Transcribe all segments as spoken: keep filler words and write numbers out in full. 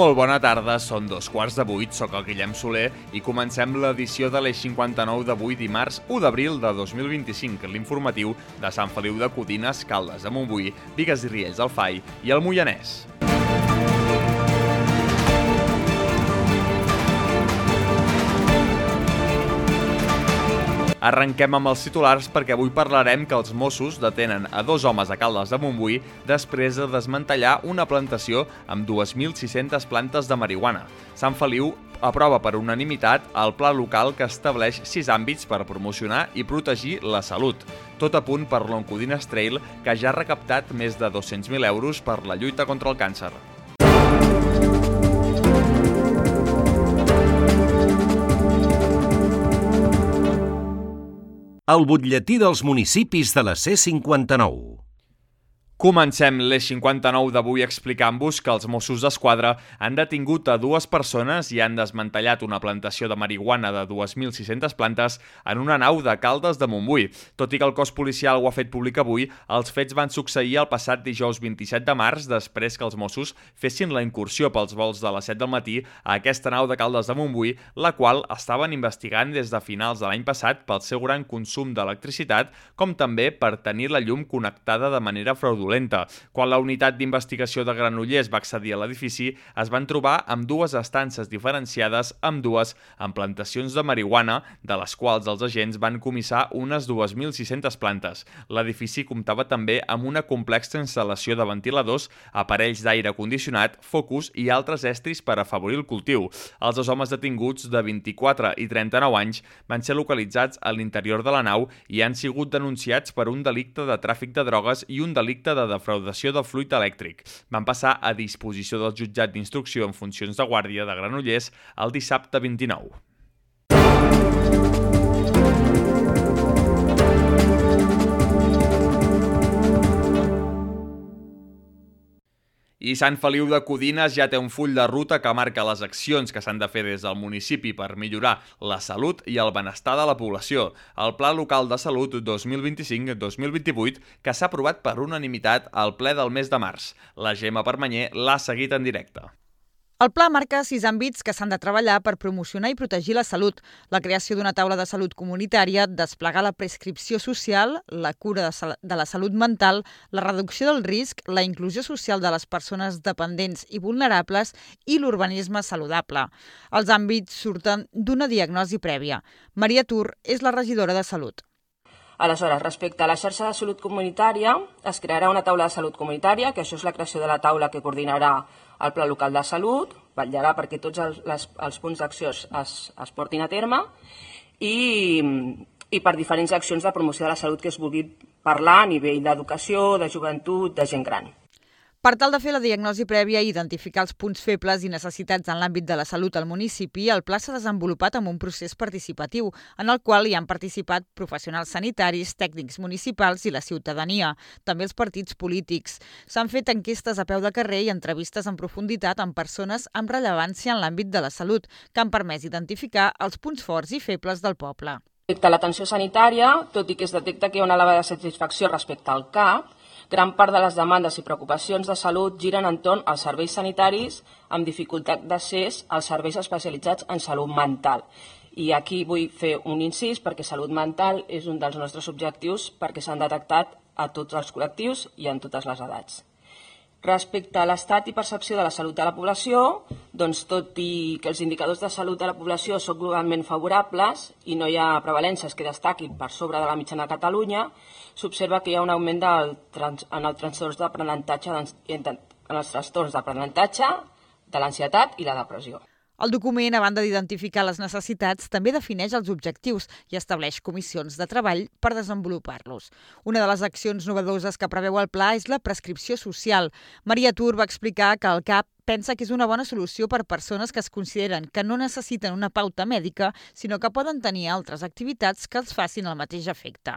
Molt bona tarda, són dos quarts de vuit, soc el Guillem Soler i comencem l'edició de l'Eix cinquanta-nou d'avui dimarts u d'abril de dos mil vint-i-cinc, l'informatiu de Sant Feliu de Codines, Caldes de Montbui, Bigues i Riells del Fai i el Moianès. Arrenquem amb els titulars perquè avui parlarem que els Mossos detenen a dos homes a Caldes de Montbui després de desmantellar una plantació amb dues mil sis-centes plantes de marihuana. Sant Feliu aprova per unanimitat el pla local que estableix sis àmbits per promocionar i protegir la salut. Tot a punt per l'Oncodines Trail, que ja ha recaptat més de dos-cents mil euros per la lluita contra el càncer. El butlletí dels municipis de la C cinquanta-nou. Comencem l'Eix cinquanta-nou d'avui explicant-vos que els Mossos d'Esquadra han detingut a dues persones i han desmantellat una plantació de marihuana de dues mil sis-centes plantes en una nau de Caldes de Montbui. Tot i que el cos policial ho ha fet públic avui, els fets van succeir el passat dijous vint-i-set de març després que els Mossos fessin la incursió pels vols de les set del matí a aquesta nau de Caldes de Montbui, la qual estaven investigant des de finals de l'any passat pel seu gran consum d'electricitat, com també per tenir la llum connectada de manera fraudulenta. Quan la unitat d'investigació de Granollers va accedir a l'edifici, es van trobar amb dues estances diferenciades, amb dues amb plantacions de marihuana, de les quals els agents van comissar unes dues mil sis-centes plantes. L'edifici comptava també amb una complexa instal·lació de ventiladors, aparells d'aire condicionat, focus i altres estris per afavorir el cultiu. Els dos homes detinguts de vint-i-quatre i trenta-nou anys van ser localitzats a l'interior de la nau i han sigut denunciats per un delicte de tràfic de drogues i un delicte de de defraudació del fluid elèctric. Van passar a disposició del jutjat d'instrucció en funcions de guàrdia de Granollers el dissabte vint-i-nou. I Sant Feliu de Codines ja té un full de ruta que marca les accions que s'han de fer des del municipi per millorar la salut i el benestar de la població. El Pla Local de Salut dos mil vint-i-cinc dos mil vint-i-vuit, que s'ha aprovat per unanimitat al ple del mes de març. La Gemma Permanyer l'ha seguit en directe. El pla marca sis àmbits que s'han de treballar per promocionar i protegir la salut: la creació d'una taula de salut comunitària, desplegar la prescripció social, la cura de, de la salut mental, la reducció del risc, la inclusió social de les persones dependents i vulnerables i l'urbanisme saludable. Els àmbits surten d'una diagnosi prèvia. Maria Tur és la regidora de Salut. Aleshores, respecte a la xarxa de salut comunitària, es crearà una taula de salut comunitària, que això és la creació de la taula que coordinarà el Pla Local de Salut, vetllarà perquè tots els, les, els punts d'acció es, es portin a terme i, i per diferents accions de promoció de la salut que es vulgui parlar a nivell d'educació, de joventut, de gent gran. Per tal de fer la diagnosi prèvia i identificar els punts febles i necessitats en l'àmbit de la salut al municipi, el pla s'ha desenvolupat amb un procés participatiu, en el qual hi han participat professionals sanitaris, tècnics municipals i la ciutadania, també els partits polítics. S'han fet enquestes a peu de carrer i entrevistes en profunditat amb persones amb rellevància en l'àmbit de la salut, que han permès identificar els punts forts i febles del poble. Respecte a l'atenció sanitària, tot i que es detecta que hi ha una elevada satisfacció respecte al C A P, gran part de les demandes i preocupacions de salut giren entorn als serveis sanitaris amb dificultat d'accés als serveis especialitzats en salut mental. I aquí vull fer un incís perquè salut mental és un dels nostres objectius perquè s'han detectat a tots els col·lectius i en totes les edats. Respecte a l'estat i percepció de la salut de la població, doncs tot i que els indicadors de salut de la població són globalment favorables i no hi ha prevalències que destaquin per sobre de la mitjana de Catalunya, s'observa que hi ha un augment del trans, en els trastorns d'aprenentatge, en els trastorns d'aprenentatge, de l'ansietat i la depressió. El document, a banda d'identificar les necessitats, també defineix els objectius i estableix comissions de treball per desenvolupar-los. Una de les accions novedoses que preveu el pla és la prescripció social. Maria Tur va explicar que el C A P pensa que és una bona solució per persones que es consideren que no necessiten una pauta mèdica, sinó que poden tenir altres activitats que els facin el mateix efecte.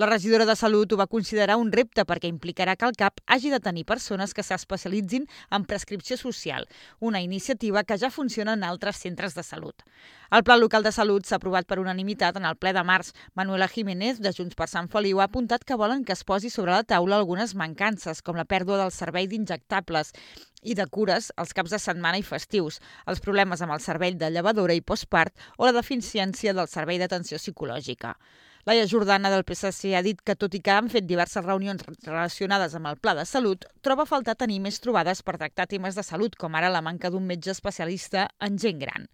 La regidora de Salut ho va considerar un repte perquè implicarà que el C A P hagi de tenir persones que s'especialitzin en prescripció social, una iniciativa que ja funciona en altres centres de salut. El Pla Local de Salut s'ha aprovat per unanimitat en el ple de març. Manuela Jiménez, de Junts per Sant Feliu, ha apuntat que volen que es posi sobre la taula algunes mancances, com la pèrdua del servei d'injectables, i de cures els caps de setmana i festius, els problemes amb el servei de llevadora i postpart o la deficiència del servei d'atenció psicològica. Laia Jordana del P S C ha dit que, tot i que han fet diverses reunions relacionades amb el Pla de Salut, troba a faltar tenir més trobades per tractar temes de salut, com ara la manca d'un metge especialista en gent gran.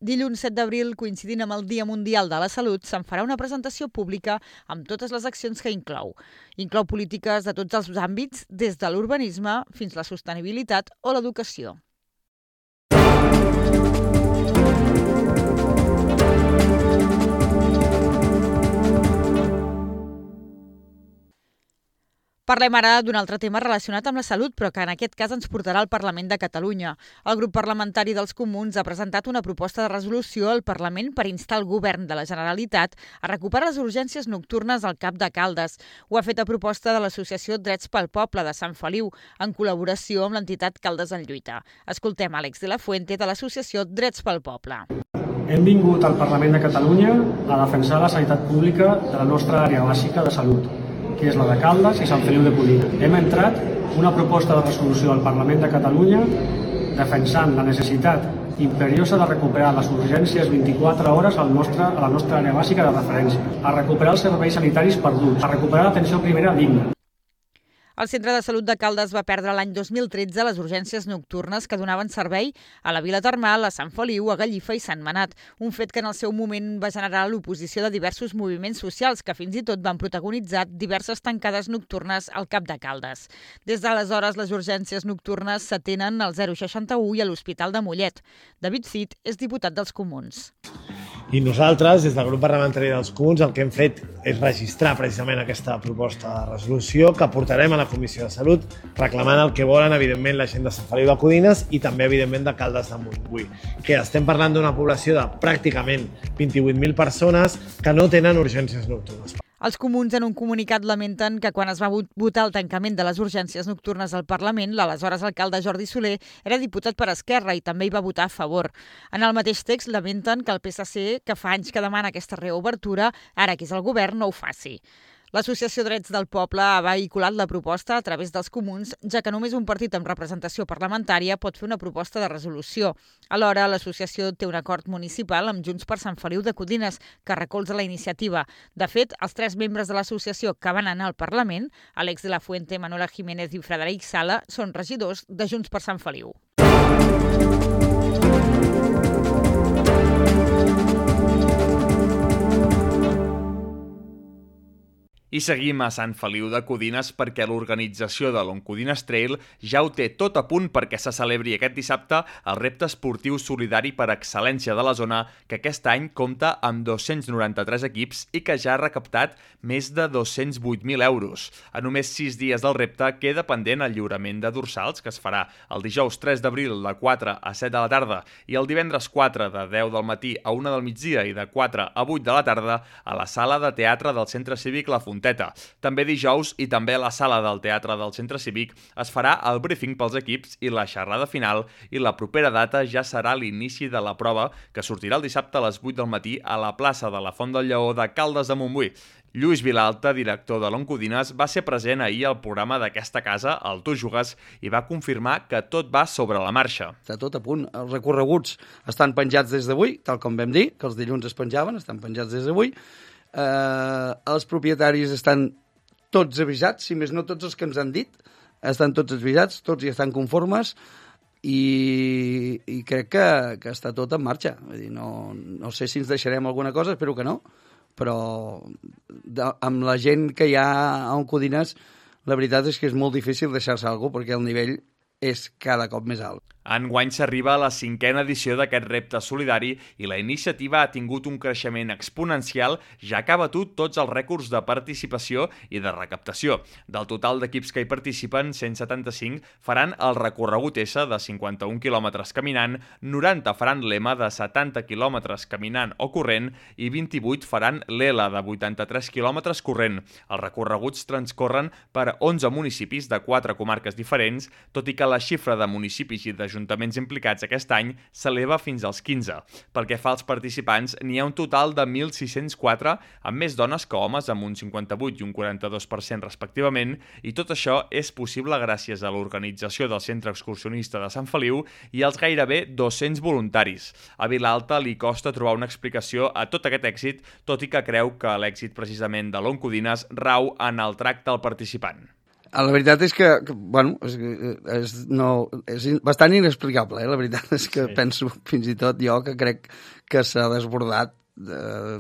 Dilluns set d'abril, coincidint amb el Dia Mundial de la Salut, se'n farà una presentació pública amb totes les accions que inclou. Inclou polítiques de tots els àmbits, des de l'urbanisme fins a la sostenibilitat o l'educació. Parlem ara d'un altre tema relacionat amb la salut, però que en aquest cas ens portarà al Parlament de Catalunya. El grup parlamentari dels Comuns ha presentat una proposta de resolució al Parlament per instar el govern de la Generalitat a recuperar les urgències nocturnes al Cap de Caldes. Ho ha fet a proposta de l'Associació Drets pel Poble de Sant Feliu, en col·laboració amb l'entitat Caldes en Lluita. Escoltem Àlex de la Fuente de l'Associació Drets pel Poble. Hem vingut al Parlament de Catalunya a defensar la sanitat pública de la nostra àrea bàsica de salut, que és la de Caldes i Sant Feliu de Codina. Hem entrat una proposta de resolució al Parlament de Catalunya defensant la necessitat imperiosa de recuperar les urgències vint-i-quatre hores al nostre, a la nostra àrea bàsica de referència, a recuperar els serveis sanitaris perduts, a recuperar l'atenció primera digna. El Centre de Salut de Caldes va perdre l'any dos mil tretze les urgències nocturnes que donaven servei a la Vila Termal, a Sant Feliu, a Gallifa i Sant Manat, un fet que en el seu moment va generar l'oposició de diversos moviments socials que fins i tot van protagonitzar diverses tancades nocturnes al Cap de Caldes. Des d'aleshores, les urgències nocturnes s'atenen al zero seixanta-u i a l'Hospital de Mollet. David Cid és diputat dels Comuns. I nosaltres, des del grup parlamentari dels Comuns, el que hem fet és registrar precisament aquesta proposta de resolució que portarem a la Comissió de Salut, reclamant el que volen, evidentment, la gent de Sant Feliu de Codines i també, evidentment, de Caldes de Montbui. Que estem parlant d'una població de pràcticament vint-i-vuit mil persones que no tenen urgències nocturnes. Els Comuns, en un comunicat, lamenten que quan es va votar el tancament de les urgències nocturnes al Parlament, l'aleshores alcalde Jordi Soler era diputat per Esquerra i també hi va votar a favor. En el mateix text lamenten que el P S C, que fa anys que demana aquesta reobertura, ara que és el govern, no ho faci. L'Associació Drets del Poble ha vehiculat la proposta a través dels Comuns, ja que només un partit amb representació parlamentària pot fer una proposta de resolució. Alhora, l'associació té un acord municipal amb Junts per Sant Feliu de Codines, que recolza la iniciativa. De fet, els tres membres de l'associació que van anar al Parlament, Àlex de la Fuente, Manuela Jiménez i Frederic Sala, són regidors de Junts per Sant Feliu. I seguim a Sant Feliu de Codines perquè l'organització de l'Oncodines Trail ja ho té tot a punt perquè se celebri aquest dissabte el repte esportiu solidari per excel·lència de la zona, que aquest any compta amb dos-cents noranta-tres equips i que ja ha recaptat més de dos-cents vuit mil euros. A només sis dies del repte queda pendent el lliurament de dorsals, que es farà el dijous tres d'abril de quatre a set de la tarda i el divendres quatre de deu del matí a una del migdia i de quatre a vuit de la tarda a la sala de teatre del Centre Cívic La Fonteta. També dijous i també a la sala del Teatre del Centre Cívic es farà el briefing pels equips i la xerrada final, i la propera data ja serà l'inici de la prova, que sortirà el dissabte a les vuit del matí a la plaça de la Font del Lleó de Caldes de Montbui. Lluís Vilalta, director de l'Oncodines, va ser present ahir al programa d'aquesta casa, el Tu Jugues, i va confirmar que tot va sobre la marxa. Està tot a punt. Els recorreguts estan penjats des d'avui, tal com vam dir, que els dilluns es penjaven, estan penjats des d'avui. Uh, els propietaris estan tots avisats, si més no tots els que ens han dit, estan tots avisats, tots hi estan conformes i, i crec que, que està tot en marxa. Vull dir, no, no sé si ens deixarem alguna cosa, espero que no, però de, amb la gent que hi ha a Oncodines, la veritat és que és molt difícil deixar-se alguna cosa perquè el nivell és cada cop més alt. Enguany s'arriba a la cinquena edició d'aquest repte solidari i la iniciativa ha tingut un creixement exponencial, ja que ha batut tots els rècords de participació i de recaptació. Del total d'equips que hi participen, cent setanta-cinc faran el recorregut S de cinquanta-un quilòmetres caminant, noranta faran l'M de setanta quilòmetres caminant o corrent i vint-i-vuit faran l'L de vuitanta-tres quilòmetres corrent. Els recorreguts transcorren per onze municipis de quatre comarques diferents, tot i que que la xifra de municipis i d'ajuntaments implicats aquest any s'eleva fins als quinze. Pel que fa als participants, n'hi ha un total de mil sis-cents quatre, amb més dones que homes, amb un cinquanta-vuit i un quaranta-dos per cent respectivament, i tot això és possible gràcies a l'organització del Centre Excursionista de Sant Feliu i als gairebé dos-cents voluntaris. A Vilalta li costa trobar una explicació a tot aquest èxit, tot i que creu que l'èxit precisament de l'Oncodines rau en el tracte al participant. La veritat és que, que bueno, és, és, no, és bastant inexplicable, eh? La veritat és que sí. Penso fins i tot jo que crec que s'ha desbordat. Uh,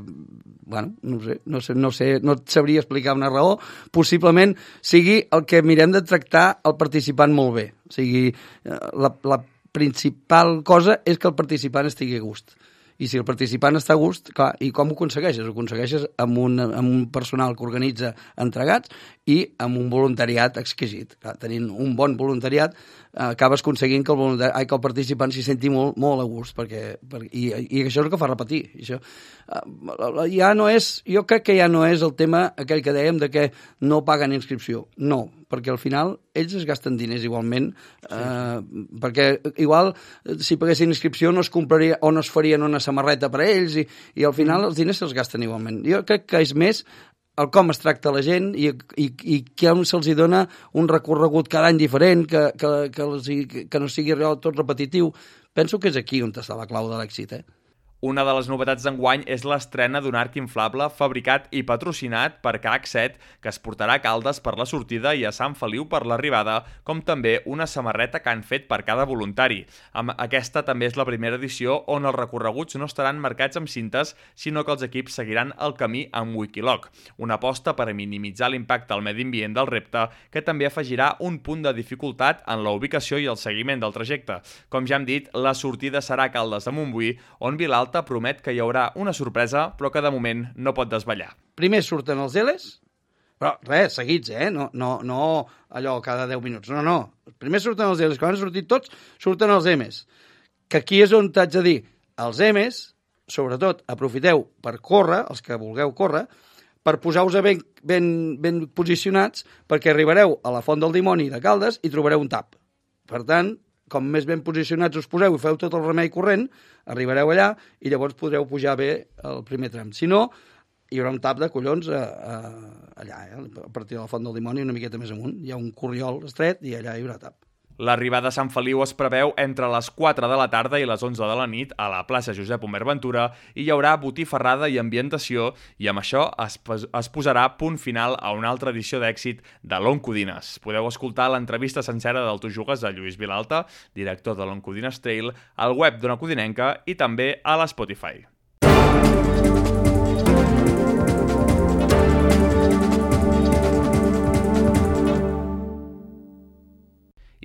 bueno, no sé, no sé, no sé, no et sabria explicar una raó. Possiblement sigui el que mirem de tractar el participant molt bé. O sigui, la, la principal cosa és que el participant estigui a gust. I si el participant està a gust, clar, i com ho aconsegueixes? Ho aconsegueixes amb un, amb un personal que organitza entregats i amb un voluntariat exquisit. Clar, tenint un bon voluntariat, eh, acabes aconseguint que el, voluntari, ai, que el participant s'hi senti molt, molt a gust, perquè, per, i, i això és el que fa repetir. Això, eh, ja no és, jo crec que ja no és el tema aquell que dèiem de que no paguen inscripció. No, perquè al final ells es gasten diners igualment, sí. eh, perquè igual si paguessin inscripció no es compraria o no es farien una samarreta per a ells i, i al final mm. els diners se'ls gasten igualment. Jo crec que és més el com es tracta la gent i, i, i que se'ls dona un recorregut cada any diferent, que, que, que, els, que no sigui tot repetitiu. Penso que és aquí on està la clau de l'èxit, eh? Una de les novetats d'enguany és l'estrena d'un arc inflable fabricat i patrocinat per K H set que es portarà a Caldes per la sortida i a Sant Feliu per l'arribada, com també una samarreta que han fet per cada voluntari. Aquesta també és la primera edició on els recorreguts no estaran marcats amb cintes, sinó que els equips seguiran el camí amb Wikiloc, una aposta per a minimitzar l'impacte al medi ambient del repte, que també afegirà un punt de dificultat en la ubicació i el seguiment del trajecte. Com ja hem dit, la sortida serà a Caldes de Montbui, on Vilalta promet que hi haurà una sorpresa, però que de moment no pot desvetllar. Primer surten els Eles, però res, seguits, eh? No, no, no allò cada deu minuts, no, no. Primer surten els Eles, quan han sortit tots, surten els Emes. Que aquí és on t'haig de dir, els Emes, sobretot, aprofiteu per córrer, els que vulgueu córrer, per posar-vos ben, ben, ben posicionats, perquè arribareu a la Font del Dimoni de Caldes i trobareu un tap. Per tant, com més ben posicionats us poseu i feu tot el remei corrent, arribareu allà i llavors podreu pujar bé el primer tram. Si no, hi haurà un tap de collons a, a, allà, eh? A partir de la Font del Dimoni, una miqueta més amunt. Hi ha un corriol estret i allà hi haurà tap. L'arribada a Sant Feliu es preveu entre les quatre de la tarda i les onze de la nit a la plaça Josep Omer Ventura i hi haurà botifarrada i ambientació i amb això es, es posarà punt final a una altra edició d'èxit de l'Oncodines. Podeu escoltar l'entrevista sencera del Tu Jugues a Lluís Vilalta, director de l'Oncodines Trail, al web d'Ona Codinenca i també a l'Spotify.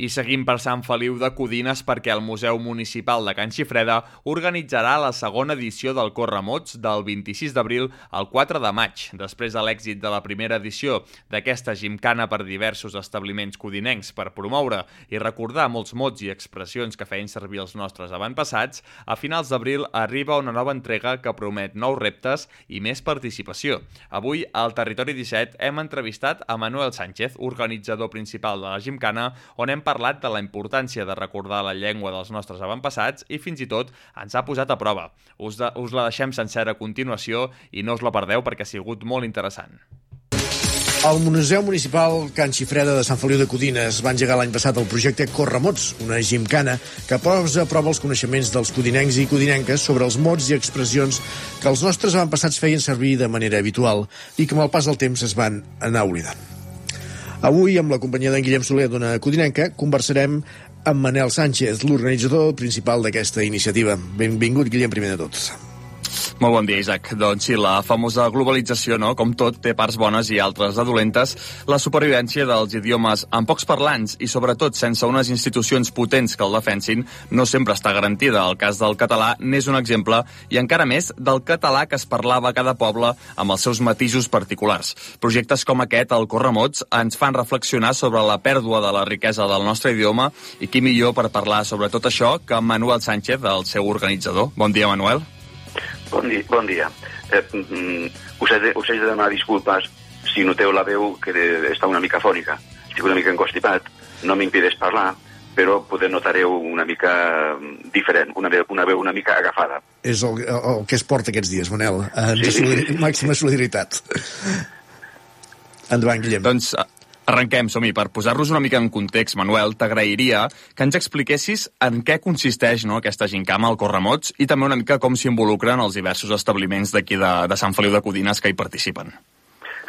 I seguim per Sant Feliu de Codines perquè el Museu Municipal de Can Xifreda organitzarà la segona edició del Corremots del vint-i-sis d'abril al quatre de maig. Després de l'èxit de la primera edició d'aquesta gimcana per diversos establiments codinencs per promoure i recordar molts mots i expressions que feien servir els nostres avantpassats, a finals d'abril arriba una nova entrega que promet nous reptes i més participació. Avui, al Territori disset, hem entrevistat a Manuel Sánchez, organitzador principal de la gimcana, on hem parlat de la importància de recordar la llengua dels nostres avantpassats i fins i tot ens ha posat a prova. Us, de, us la deixem sencera a continuació i no us la perdeu perquè ha sigut molt interessant. El Museu Municipal Can Xifreda de Sant Feliu de Codines va engegar l'any passat el projecte Corremots, una gimcana que posa a prova els coneixements dels codinencs i codinenques sobre els mots i expressions que els nostres avantpassats feien servir de manera habitual i que amb el pas del temps es van anar oblidant. Avui, amb la companyia d'en Guillem Soler d'Ona Codinenca, conversarem amb Manel Sánchez, l'organitzador principal d'aquesta iniciativa. Benvingut, Guillem, primer de tot. Molt bon dia, Isaac. Doncs sí, la famosa globalització, no? Com tot, té parts bones i altres de dolentes. La supervivència dels idiomes amb pocs parlants i, sobretot, sense unes institucions potents que el defensin, no sempre està garantida. El cas del català n'és un exemple, i encara més del català que es parlava a cada poble amb els seus matisos particulars. Projectes com aquest, el Corremots, ens fan reflexionar sobre la pèrdua de la riquesa del nostre idioma i qui millor per parlar sobre tot això que Manuel Sánchez, el seu organitzador. Bon dia, Manuel. Bon dia. Bon dia. Eh, us, he de, us he de demanar disculpes si noteu la veu que de, està una mica fònica. Estic una mica encostipat, no m'impedeix parlar, però poder notareu una mica diferent, una veu una, veu una mica agafada. És el, el, el que es porta aquests dies, Manel. Sí. Solidar, màxima solidaritat. Endavant, Guillem. Doncs arrenquem, som-hi. Per posar-los una mica en context, Manuel, t'agrairia que ens expliquessis en què consisteix, no, aquesta gincama al Corremots i també una mica com s'hi involucren els diversos establiments d'aquí de, de Sant Feliu de Codines que hi participen.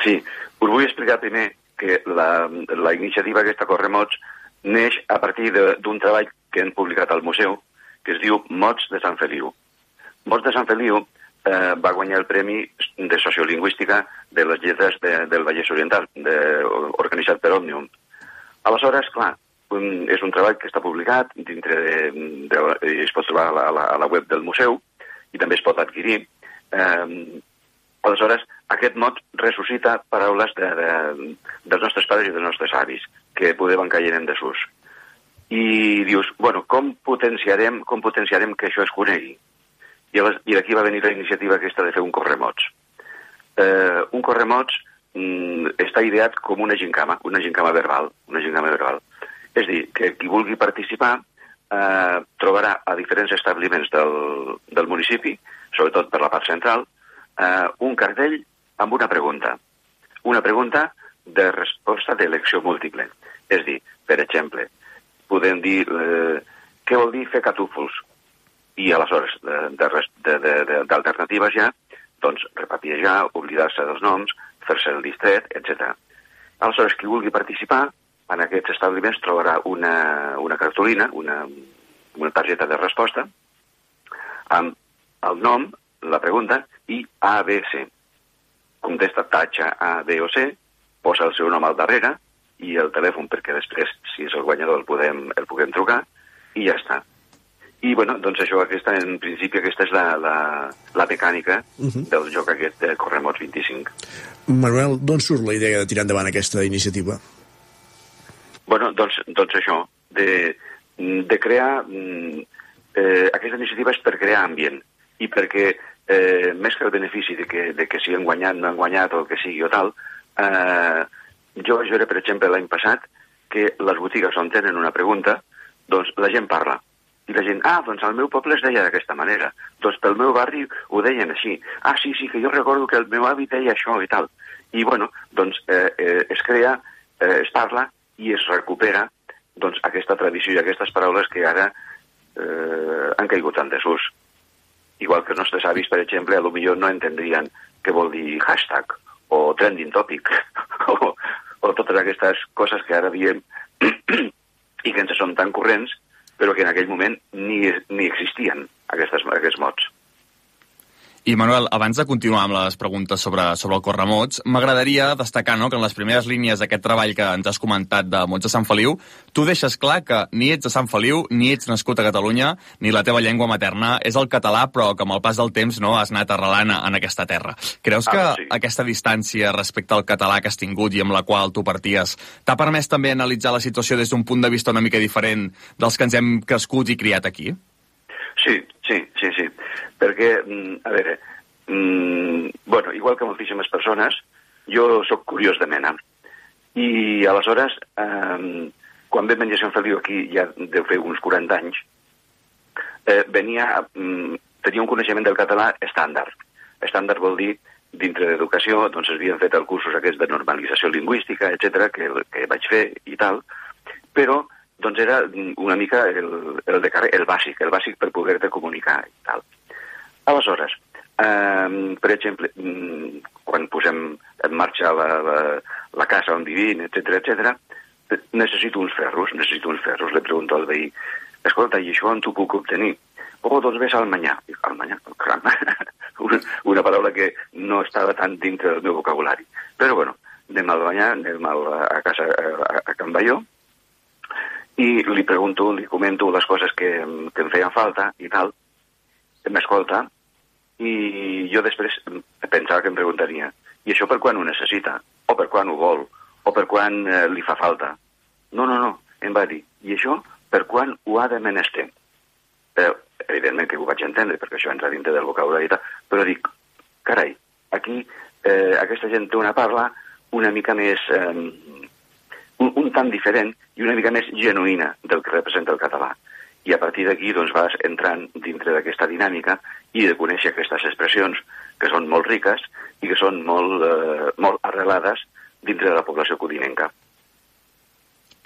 Sí, us vull explicar primer que la, la iniciativa aquesta Corremots neix a partir d'un treball que hem publicat al museu que es diu Mots de Sant Feliu. Mots de Sant Feliu Eh, va guanyar el Premi de Sociolingüística de les Lletres de, del Vallès Oriental, de, organitzat per Òmnium. Aleshores, clar, un, és un treball que està publicat dintre de, de, de, es pot trobar a la, a, la, a la web del museu i també es pot adquirir. Eh, aleshores, aquest mot ressuscita paraules de, de, dels nostres pares i dels nostres avis, que poder van caient en desús. I dius, bueno, com potenciarem, com potenciarem que això es conegui? I d'aquí va venir la iniciativa aquesta de fer un Corremots. Eh, un Corremots mm, està ideat com una gincama, una gincama verbal, una gincama verbal. És dir, que qui vulgui participar eh, trobarà a diferents establiments del, del municipi, sobretot per la part central, eh, un cartell amb una pregunta. Una pregunta de resposta d'elecció múltiple. És dir, per exemple, podem dir eh, què vol dir fer catúfols? I aleshores, d'alternatives ja, doncs repapiajar, oblidar-se dels noms, fer-se el distret, etcètera. Aleshores, qui vulgui participar en aquests establiments trobarà una, una cartolina, una, una targeta de resposta, amb el nom, la pregunta, i A, B, C. Contesta, tatxa A, B o C, posa el seu nom al darrere, i el telèfon, perquè després, si és el guanyador, el, podem, el puguem trucar, i ja està. I, bueno, doncs això, aquesta, en principi, aquesta és la, la, la mecànica uh -huh. del joc aquest de Corremots vint-i-cinc. Manuel, d'on surt la idea de tirar endavant aquesta iniciativa? Bueno, doncs, doncs això, de, de crear... Eh, aquesta iniciativa és per crear ambient i perquè, eh, més que el benefici de que, de que si han guanyat, no han guanyat o el que sigui o tal, eh, jo vaig veure, per exemple, l'any passat que les botigues on tenen una pregunta, doncs la gent parla. I la gent, ah, doncs al meu poble es deia d'aquesta manera. Doncs pel meu barri ho deien així. Ah, sí, sí, que jo recordo que el meu avi deia això i tal. I, bueno, doncs eh, eh, es crea, eh, es parla i es recupera doncs aquesta tradició i aquestes paraules que ara eh, han caigut en desús. Igual que els nostres avis, per exemple, a lo millor no entendrien què vol dir hashtag o trending topic o, o totes aquestes coses que ara diem i que ens són tan corrents però que en aquell moment ni, ni existien aquestes, aquests mots. I, Manuel, abans de continuar amb les preguntes sobre, sobre el Corremots, m'agradaria destacar, no, que en les primeres línies d'aquest treball que ens has comentat de Mots de Sant Feliu, tu deixes clar que ni ets de Sant Feliu, ni ets nascut a Catalunya, ni la teva llengua materna és el català, però que amb el pas del temps no has anat arrelant en aquesta terra. Creus que ah, sí. aquesta distància respecte al català que has tingut i amb la qual tu parties t'ha permès també analitzar la situació des d'un punt de vista una mica diferent dels que ens hem crescut i criat aquí? Sí, sí, sí, sí. Perquè, a veure, mm, bueno, igual que moltíssimes persones, jo sóc curiós de mena. I aleshores, eh, quan vam venir a Sant Feliu aquí, ja deu fer uns quaranta anys, eh, venia, mm, tenia un coneixement del català estàndard. Estàndard vol dir, dintre d'educació, doncs es havien fet els cursos aquests de normalització lingüística, etcètera, que, que vaig fer i tal, però doncs era una mica el, el, de carrer, el bàsic, el bàsic per poder-te comunicar i tal. Aleshores, eh, per exemple, quan posem en marxa la, la, la casa on vivim, etcètera, etcètera, necessito uns ferros, necessito uns ferros. Le pregunto al veí, escolta, i això on t'ho puc obtenir? Oh, doncs ves al Manyà. Dic, al Manyà? Caram, una, una paraula que no estava tan dintre del meu vocabulari. Però, bueno, anem al Manyà, anem a casa, a, a Can Baió, i li pregunto, li comento les coses que, que em feien falta i tal, m'escolta, i jo després pensava que em preguntaria, i això per quan ho necessita? O per quan ho vol? O per quan eh, li fa falta? No, no, no, em va dir, i això per quan ho ha de menester? Però, evidentment que ho vaig entendre, perquè això entra dintre del vocabulari i tal, però dic, carai, aquí eh, aquesta gent té una parla una mica més... Eh, un, un tant diferent i una mica més genuïna del que representa el català. I a partir d'aquí doncs, vas entrant dintre d'aquesta dinàmica i de conèixer aquestes expressions que són molt riques i que són molt, eh, molt arrelades dintre de la població codinenca.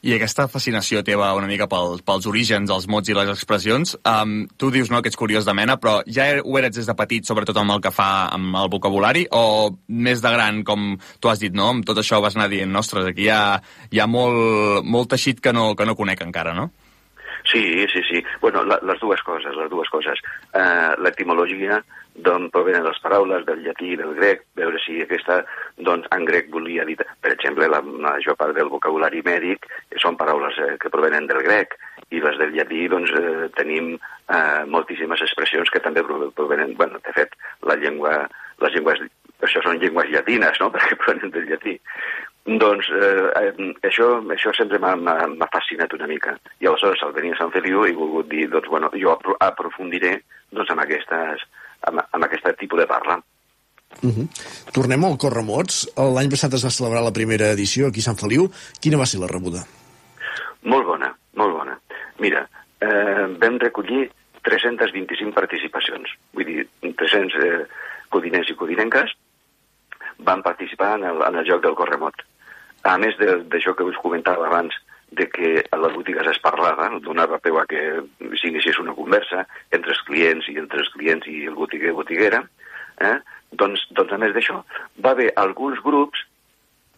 I aquesta fascinació teva una mica pel, pels orígens, els mots i les expressions, um, tu dius no, que ets curiós de mena, però ja ho eres des de petit, sobretot amb el que fa amb el vocabulari, o més de gran, com tu has dit, no? Amb tot això vas anar dient, ostres, aquí hi ha, hi ha molt, molt teixit que no, que no conec encara, no? Sí, sí, sí. Bueno, la, les dues coses, les dues coses. Uh, l'etimologia, d'on provenen les paraules, del llatí i del grec, veure si aquesta, doncs, en grec volia dir... Per exemple, la major part del vocabulari mèdic són paraules eh, que provenen del grec, i les del llatí, doncs, eh, tenim eh, moltíssimes expressions que també provenen... Bueno, de fet, la llengua, les llengües... Això són llengües llatines, no?, perquè provenen del llatí. Doncs eh, això, això sempre m'ha fascinat una mica. I aleshores, al venir a Sant Feliu, he volgut dir, doncs, bueno, jo aprofundiré doncs, amb, aquestes, amb, amb aquest tipus de parla. Uh -huh. Tornem al Corremots. L'any passat es va celebrar la primera edició aquí a Sant Feliu. Quina va ser la rebuda? Molt bona, molt bona. Mira, eh, vam recollir tres-centes vint-i-cinc participacions. Vull dir, tres-cents eh, codinencs i codinenques van participar en el, en el joc del Corremot. A més d'això que us comentava abans, de que a les botigues es parlava, donava peu a que s'iniciés una conversa entre els clients i entre els clients i el botiguer o botiguera, eh? doncs, doncs a més d'això, va haver alguns grups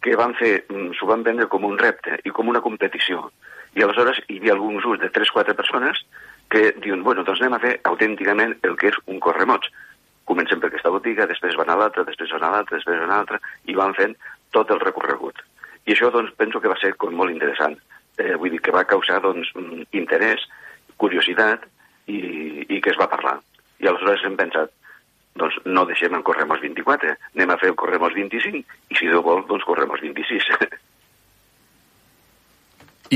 que van fer, s'ho van vendre com un repte i com una competició. I aleshores hi havia alguns grups de tres o quatre persones que diuen, bueno, doncs anem a fer autènticament el que és un Corremots. Comencem per aquesta botiga, després van a l'altra, després van a l'altra, després van a l'altra, i van fent tot el recorregut. I això, doncs, penso que va ser com molt interessant. Eh, vull dir que va causar, doncs, interès, curiositat, i, i que es va parlar. I aleshores hem pensat, doncs, no deixem en Corremots vint-i-quatre, anem a fer el Corremots vint-i-cinc, i si Déu vol, doncs, Corremots vint-i-sis.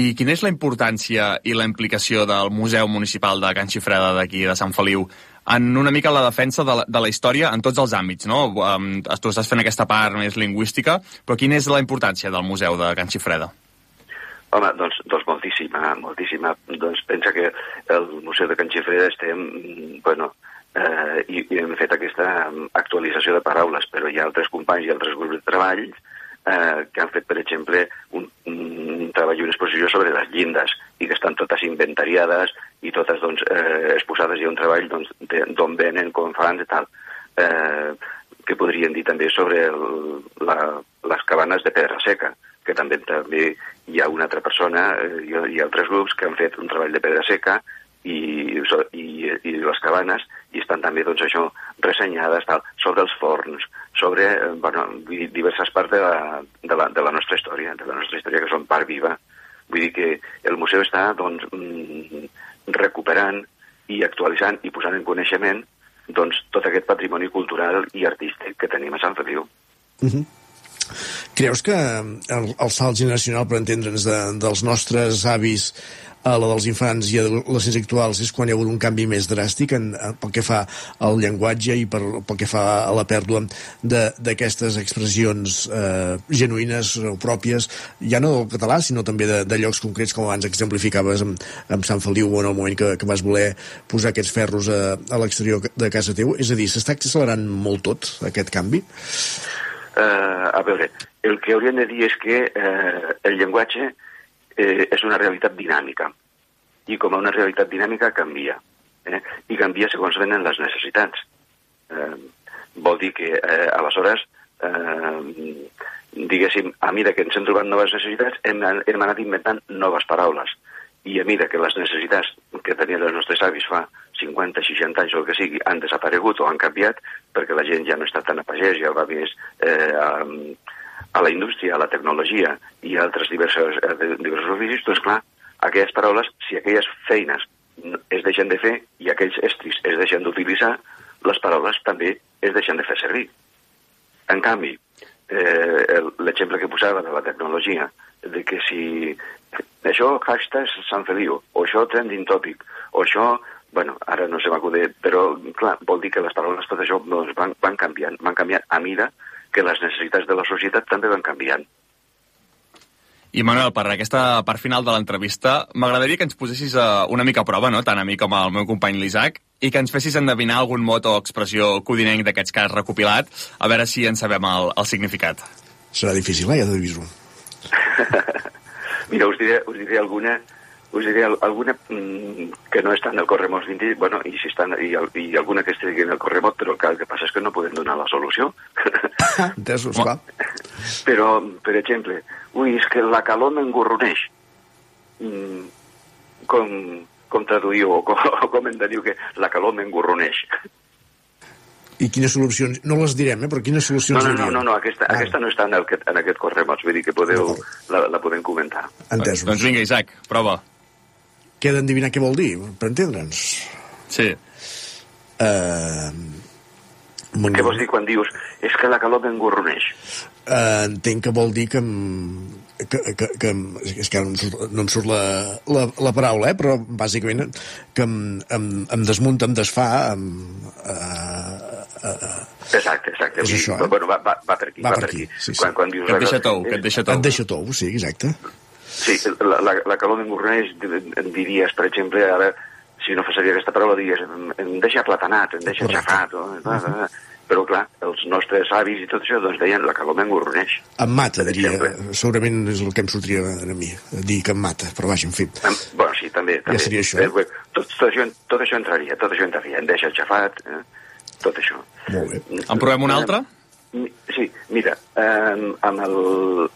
I quina és la importància i la implicació del Museu Municipal de Can Xifreda d'aquí de Sant Feliu en una mica la defensa de la, de la història en tots els àmbits, no? Um, tu estàs fent aquesta part més lingüística, però quina és la importància del Museu de Can Xifreda? Home, doncs, doncs moltíssima, moltíssima. Doncs pensa que el Museu de Can Xifreda estem, bueno, eh, i, i hem fet aquesta actualització de paraules, però hi ha altres companys i altres grups de treball eh, que han fet, per exemple, un, un treball i una exposició sobre les llindes i que estan totes inventariades i totes doncs, eh, exposades i un treball doncs, d'on venen, com fan i tal. Eh, que podrien dir també sobre el, la, les cabanes de pedra seca, que també també hi ha una altra persona eh, i, i altres grups que han fet un treball de pedra seca i, i, i les cabanes i estan també doncs, això ressenyades tal, sobre els forns, sobre eh, bueno, diverses parts de la, de, la, de la nostra història, de la nostra història que són part viva. Vull dir que el museu està doncs, recuperant i actualitzant i posant en coneixement doncs, tot aquest patrimoni cultural i artístic que tenim a Sant Feliu. Uh-huh. Creus que el, el salt generacional, per entendre'ns, de, dels nostres avis a la dels infants i adolescents actuals és quan hi ha hagut un canvi més dràstic en, en, pel que fa al llenguatge i per, pel que fa a la pèrdua d'aquestes expressions eh, genuïnes o pròpies, ja no del català, sinó també de, de llocs concrets, com abans exemplificaves amb, amb Sant Feliu o en el moment que, que vas voler posar aquests ferros a, a l'exterior de casa teu. És a dir, s'està accelerant molt tot, aquest canvi? Uh, a veure, el que hauríem de dir és que uh, el llenguatge eh, és una realitat dinàmica i com a una realitat dinàmica canvia eh? i canvia segons venen les necessitats. Eh, vol dir que eh, aleshores eh, diguéssim, a mesura que ens hem trobat noves necessitats hem, hem anat inventant noves paraules i a mesura que les necessitats que tenien els nostres avis fa cinquanta, seixanta anys o el que sigui han desaparegut o han canviat perquè la gent ja no està tan a pagès, ja va més eh, a, a la indústria, a la tecnologia i a altres diversos, diversos oficis, doncs clar, aquelles paraules, si aquelles feines es deixen de fer i aquells estris es deixen d'utilitzar, les paraules també es deixen de fer servir. En canvi, eh, l'exemple que posava de la tecnologia, de que si això hashtag Sant Feliu, o això trending topic, o això, bueno, ara no se m'acude, però clar, vol dir que les paraules, tot això doncs, van, van canviant, van canviant a mida que les necessitats de la societat també van canviant. I Manuel, per aquesta part final de l'entrevista, m'agradaria que ens posessis una mica a prova, no? Tant a mi com al meu company l'Isaac, i que ens fessis endevinar algun mot o expressió codinenc d'aquests que has recopilat, a veure si en sabem el, el significat. Serà difícil, eh? Ja t'aviso. Mira, us diré, us diré alguna, us diré alguna que no està en el Corremots vint, bueno, i, si està, i, i alguna que estigui en el Corremot, però el que passa és que no podem donar la solució. Entesos, clar. Però, per exemple, ui, és que la calor m'engorroneix. Mm, com, com traduïu o com, o com em diu que la calor m'engorroneix. I quines solucions? No les direm, eh? Però quines solucions no, no, diríem? No, no, no, aquesta, ah. aquesta no està en, el, en aquest Corremots, vull dir que podeu, la, la podem comentar. Entesos. Doncs vinga, Isaac, prova. Què he d'endevinar què vol dir, per entendre'ns? Sí. Uh, Què vols dir quan dius és que la calor m'engorroneix? Uh, entenc que vol dir que, que, que, que és que no em surt, no em surt la, la, la paraula, eh? Però bàsicament que em, em, em desmunta, em desfà, em, uh, uh, exacte, exacte. És això, eh? Bueno, va, va, va per aquí. Va, va per aquí, aquí. sí, sí. Quan, quan dius, que et deixa tou, que et deixa tou. Et deixa tou, sí, exacte. Sí, la, la, la calor m'engorroneix, em diries, per exemple, a veure, si no faria aquesta paraula, diries, em, em deixa platanat, em deixa xafat, o, uh, però clar, els nostres avis i tot això, doncs deien, la calor m'engorroneix. Em mata, diria, segurament és el que em sortiria a mi, dir que em mata, però vaja, en fi. Em, bueno, sí, també. també. Ja seria això. Eh, tot, tot, això tot això entraria, tot això entraria, em deixa xafat, eh, tot això. Molt bé. En provem una altra? Sí, mira, eh, amb, el,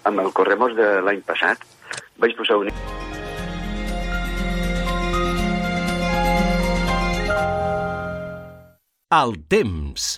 amb el Corremots de l'any passat vaig posar un... El temps.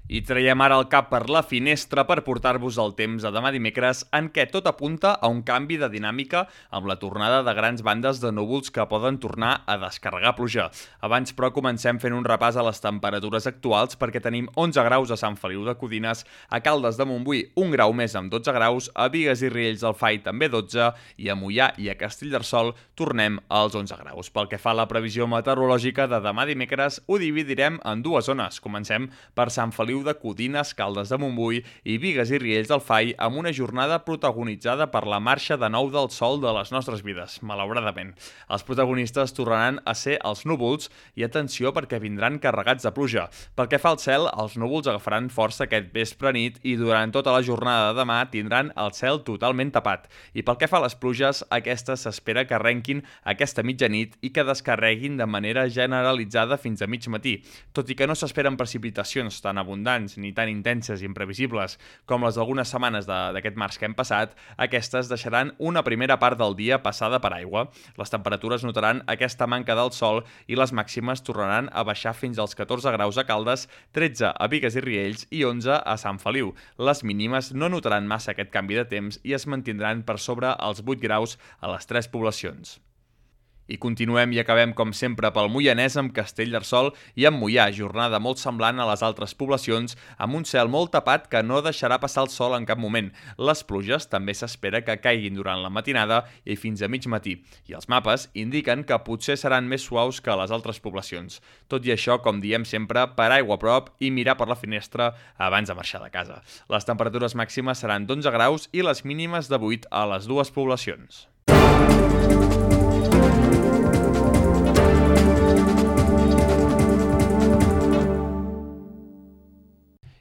I traiem ara el cap per la finestra per portar-vos el temps a demà dimecres, en què tot apunta a un canvi de dinàmica amb la tornada de grans bandes de núvols que poden tornar a descarregar pluja. Abans, però, comencem fent un repàs a les temperatures actuals perquè tenim onze graus a Sant Feliu de Codines, a Caldes de Montbui un grau més amb dotze graus, a Bigues i Riells del Fai també dotze i a Moià i a Castellterçol tornem als onze graus. Pel que fa a la previsió meteorològica de demà dimecres, ho dividirem en dues zones. Comencem per Sant Feliu de Codines, Caldes de Montbui i Bigues i Riells del Fai amb una jornada protagonitzada per la marxa de nou del sol de les nostres vides, malauradament. Els protagonistes tornaran a ser els núvols i atenció perquè vindran carregats de pluja. Pel que fa al cel, els núvols agafaran força aquest vespre nit i durant tota la jornada de demà tindran el cel totalment tapat. I pel que fa a les pluges, aquestes s'espera que arrenquin aquesta mitjanit i que descarreguin de manera generalitzada fins a mig matí, tot i que no s'esperen precipitacions tan abundants ni tan intenses i imprevisibles com les d'algunes setmanes d'aquest març que hem passat, aquestes deixaran una primera part del dia passada per aigua. Les temperatures notaran aquesta manca del sol i les màximes tornaran a baixar fins als catorze graus a Caldes, tretze a Bigues i Riells i onze a Sant Feliu. Les mínimes no notaran massa aquest canvi de temps i es mantindran per sobre els vuit graus a les tres poblacions. I continuem i acabem, com sempre, pel Moianès amb Castellterçol i amb Moià, jornada molt semblant a les altres poblacions, amb un cel molt tapat que no deixarà passar el sol en cap moment. Les pluges també s'espera que caiguin durant la matinada i fins a mig matí, i els mapes indiquen que potser seran més suaus que a les altres poblacions. Tot i això, com diem sempre, per aigua a prop i mirar per la finestra abans de marxar de casa. Les temperatures màximes seran d'onze graus i les mínimes de vuit a les dues poblacions.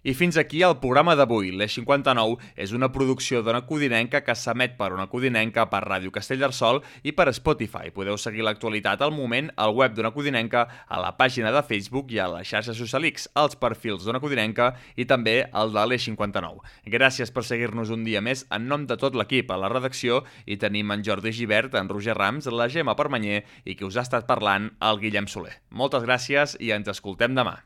I fins aquí el programa d'avui. L'Eix cinquanta-nou és una producció d'Ona Codinenca que s'emet per Ona Codinenca, per Ràdio Castellterçol i per Spotify. Podeu seguir l'actualitat al moment al web d'Ona Codinenca, a la pàgina de Facebook i a les xarxes socials, als perfils d'Ona Codinenca i també al de l'Eix cinquanta-nou. Gràcies per seguir-nos un dia més en nom de tot l'equip a la redacció i tenim en Jordi Gibert, en Roger Rams, la Gemma Permanyer i qui us ha estat parlant, el Guillem Soler. Moltes gràcies i ens escoltem demà.